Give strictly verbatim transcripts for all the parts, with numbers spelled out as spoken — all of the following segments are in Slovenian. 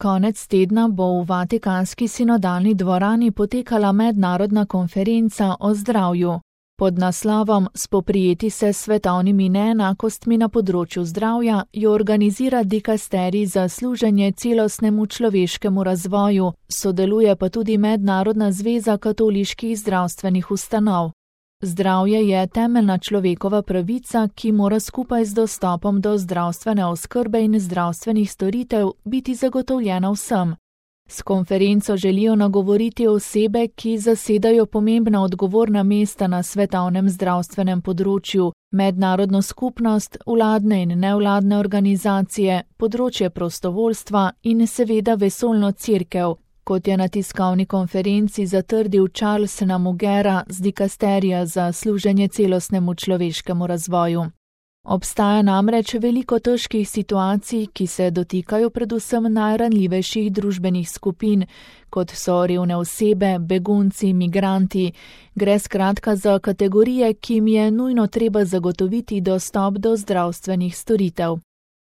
Konec tedna bo v Vatikanski sinodalni dvorani potekala mednarodna konferenca o zdravju. Pod naslovom Spoprijeti se s svetovnimi neenakostmi na področju zdravja jo organizira dikasterij za služenje celostnemu človeškemu razvoju, sodeluje pa tudi Mednarodna zveza katoliških zdravstvenih ustanov. Zdravje je temeljna človekova pravica, ki mora skupaj z dostopom do zdravstvene oskrbe in zdravstvenih storitev biti zagotovljena vsem. S konferenco želijo nagovoriti osebe, ki zasedajo pomembna odgovorna mesta na svetovnem zdravstvenem področju, mednarodno skupnost, vladne in nevladne organizacije, področje prostovoljstva in seveda vesoljno cerkev, kot je na tiskovni konferenci zatrdil Charles Namugera z dikasterija za služenje celostnemu človeškemu razvoju. Obstaja namreč veliko težkih situacij, ki se dotikajo predvsem najranljivejših družbenih skupin, kot so revne osebe, begunci, migranti. Gre skratka za kategorije, ki jim je nujno treba zagotoviti dostop do zdravstvenih storitev.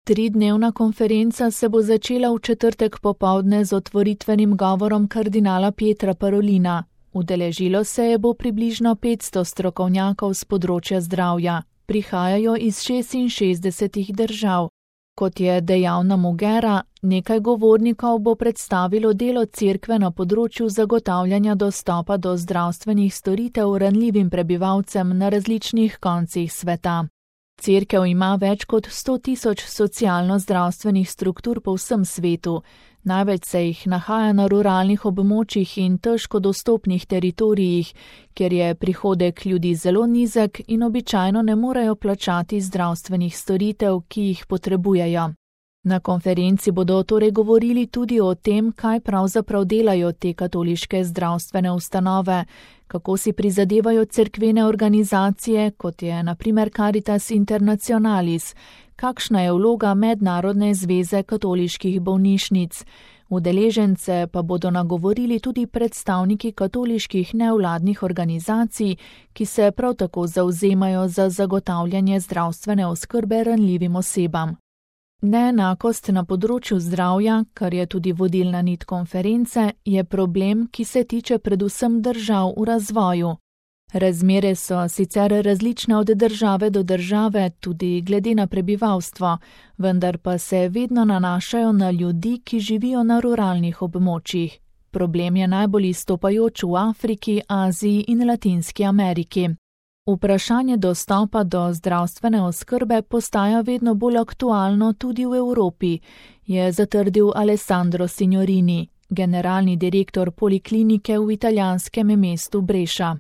Tridnevna konferenca se bo začela v četrtek popoldne z otvoritvenim govorom kardinala Pietra Parolina. Udeležilo se je bo približno petsto strokovnjakov z področja zdravja. Prihajajo iz šestinšestdesetih držav. Kot je dejal Namugera, nekaj govornikov bo predstavilo delo cerkve na področju zagotavljanja dostopa do zdravstvenih storitev ranljivim prebivalcem na različnih koncih sveta. Cerkev ima več kot sto tisoč socialno-zdravstvenih struktur po vsem svetu. Največ se jih nahaja na ruralnih območjih in težko dostopnih teritorijih, kjer je prihodek ljudi zelo nizek in običajno ne morejo plačati zdravstvenih storitev, ki jih potrebujejo. Na konferenci bodo torej govorili tudi o tem, kaj pravzaprav delajo te katoliške zdravstvene ustanove, kako si prizadevajo cerkvene organizacije, kot je na primer Caritas Internationalis, kakšna je vloga Mednarodne zveze katoliških bolnišnic. Udeležence pa bodo nagovorili tudi predstavniki katoliških nevladnih organizacij, ki se prav tako zavzemajo za zagotavljanje zdravstvene oskrbe ranljivim osebam. Neenakost na področju zdravja, kar je tudi vodilna nit konference, je problem, ki se tiče predvsem držav v razvoju. Razmere so sicer različne od države do države, tudi glede na prebivalstvo, vendar pa se vedno nanašajo na ljudi, ki živijo na ruralnih območjih. Problem je najbolj izstopajoč v Afriki, Aziji in Latinski Ameriki. Vprašanje dostopa do zdravstvene oskrbe postaja vedno bolj aktualno tudi v Evropi, je zatrdil Alessandro Signorini, generalni direktor poliklinike v italijanskem mestu Breša.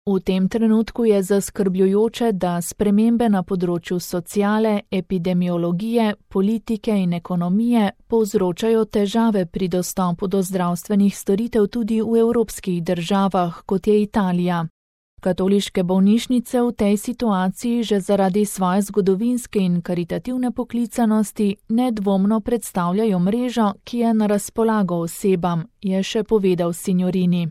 V tem trenutku je zaskrbljujoče, da spremembe na področju sociale, epidemiologije, politike in ekonomije povzročajo težave pri dostopu do zdravstvenih storitev tudi v evropskih državah, kot je Italija. Katoliške bolnišnice v tej situaciji že zaradi svoje zgodovinske in karitativne poklicanosti nedvomno predstavljajo mrežo, ki je na razpolago osebam, je še povedal Signorini.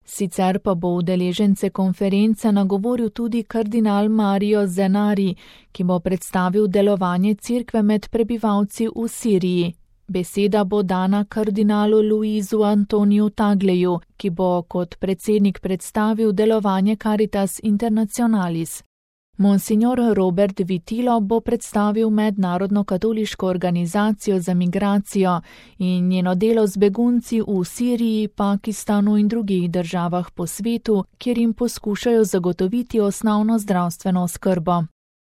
Sicer pa bo udeležence konference nagovoril tudi kardinal Mario Zenari, ki bo predstavil delovanje cerkve med prebivalci v Siriji. Beseda bo dana kardinalu Luizu Antoniju Tagleju, ki bo kot predsednik predstavil delovanje Caritas Internationalis. Monsignor Robert Vitilo bo predstavil mednarodno katoliško organizacijo za migracijo in njeno delo z begunci v Siriji, Pakistanu in drugih državah po svetu, kjer jim poskušajo zagotoviti osnovno zdravstveno oskrbo.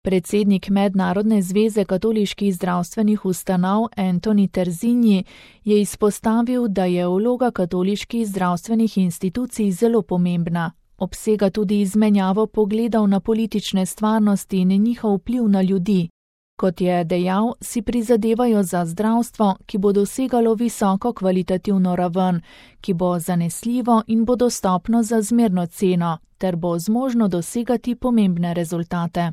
Predsednik Mednarodne zveze katoliških zdravstvenih ustanov Antoni Terzinji je izpostavil, da je vloga katoliških zdravstvenih institucij zelo pomembna. Obsega tudi izmenjavo pogledov na politične stvarnosti in njihov vpliv na ljudi. Kot je dejal, si prizadevajo za zdravstvo, ki bo dosegalo visoko kvalitativno raven, ki bo zanesljivo in bo dostopno za zmerno ceno, ter bo zmožno dosegati pomembne rezultate.